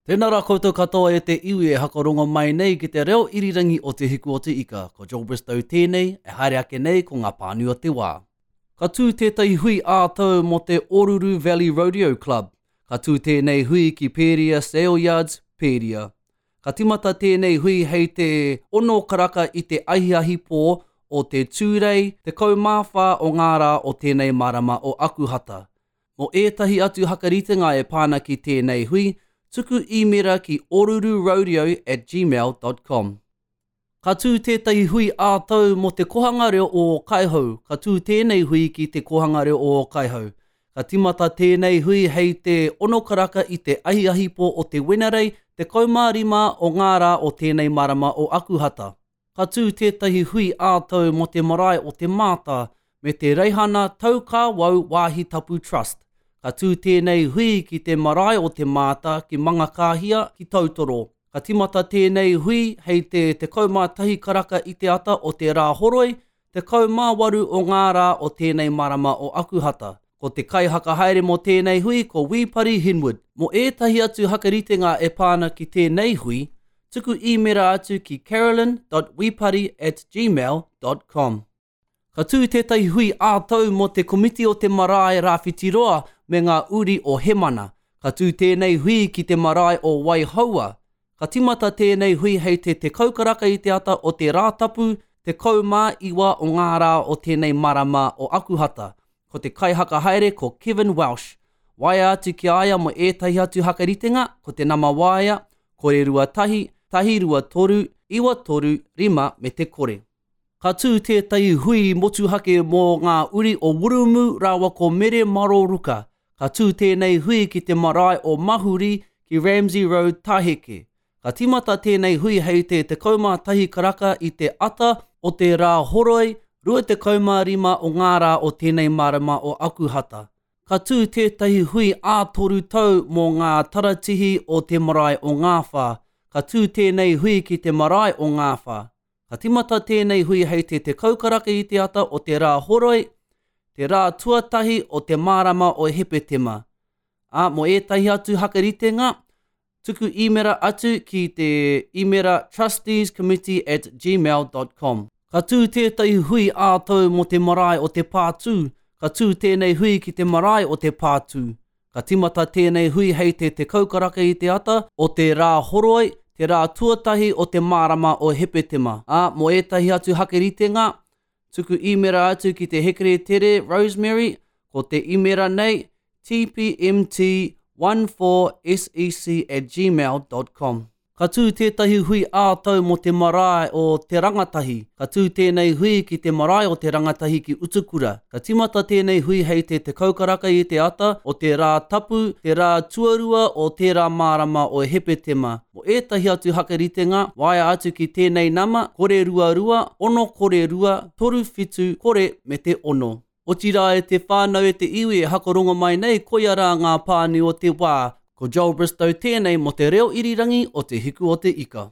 Tēnā rā koutou katoa e te iwi e hakarongo mai nei ki te reo irirangi o Te Hiku o Te Ika. Ko Joel Bristow tēnei, e haere ake nei ko ngā pānui o te wā. Ka tū tētahi hui ā-tau mō te Oruru Valley Rodeo Club. Ka tū tēnei hui ki Pēria Saleyards, Pēria. Ka tīmata tēnei hui hei te ono karaka i te ahiahi pō o te Tūrei 14 o ngā rā o tēnei marama o Akuhata. Mō ētahi atu hakaritenga e pā ana ki tēnei hui, tuku īmera ki orururodeo at gmail dot com. Ka tū tētahi hui ā-tau mō Te Kohanga Reo o Ōkaihou. Ka tū tēnei hui ki Te Kohanga Reo o Ōkaihou. Ka tīmata tēnei hui hei te ono karaka i te ahiahipō o te Wenerei 15 o ngā rā o tēnei marama o Akuhata. Ka tū tētahi hui ā-tau mō te marae o Te Māta me te Reihana Taukāwau Wāhi Tapu Trust. Ka tū tēnei hui ki te marae o Te Māta ki Mangakāhia, ki Tautoro. Ka tīmata tēnei hui hei te 11 karaka i te ata o te Rāhoroi, 18 o ngā rā o tēnei marama o Akuhata. Ko te kaihakahaere mō tēnei hui ko Wī Pari Hinwood. Mō ētahi atu hakaritenga e pā ana ki tēnei hui, tuku īmera atu ki carolyn dot wipari at gmail dot com. Ka tū tētahi hui ā-tau mō te Komiti o te Marae Rāwhitiroa me ngā uri o Hemana. Ka tū tēnei hui ki te marae o Waihoua. Ka tīmata tēnei hui hei te 10 karaka i te ata o te Rātapu, 19 o ngā rā o tēnei marama o Akuhata. Ko te kaihakahaere ko Kevin Welsh. Waea atu ki a ia mō ētahi atu hakaritenga, ko te nama waea, 021, 123, 935 me te kore. Ka tū tētahi hui motuhake mō ngā uri o Wurumu rāua ko Mere Maro Ruka. Ka tū tēnei hui ki te marae o Mahuri ki Ramsay Road, Taheke. Ka tīmata tēnei hui hei te 11 karaka i te ata o te Rāhoroi 25 o ngā rā o tēnei marama o Akuhata. Ka tū tētahi hui ā-toru tau mō ngā taratihi o te marae o Ngāwhā. Ka tū tēnei hui ki te marae o Ngāwhā. Ka tīmata tēnei hui hei te 10 karaka i te ata o te Rāhoroi, te rā tuatahi o te marama o Hepetema. Ā, mō ētahi atu hakaritenga, Tuku īmera atu ki te īmera trusteescommittee at gmail dot com. Ka tū tētahi hui ā-tau mō te marae o Te Pātū. Ka tū tēnei hui ki te marae o Te Pātū. Ka tīmata tēnei hui hei te 10 karaka i te ata o te Rāhoroi, te rā tuatahi o te marama o Hepetema. Ā, mō ētahi atu hakeritenga, Tuku īmera atu ki te hekeretēre Rosemary, ko te īmera nei, tpmt14sec at gmail dot com. Ka tū tētahi hui ā-tau mō te marae o Te Rangatahi. Ka tū tēnei hui ki te marae o Te Rangatahi ki Utukura. Ka tīmata tēnei hui hei te 10 karaka i te ata o te Rā Tapu, te rā tuarua o tērā marama o Hepetema. Mō ētahi atu hakaritenga, waea atu ki tēnei nama, 022 602 37 me te 6. Otirā e te whānau e te iwi e hakarongo mai nei koia rā ngā pānui o te wā. Ko Joel Bristow tēnei mō te reo irirangi o Te Hiku o te Ika.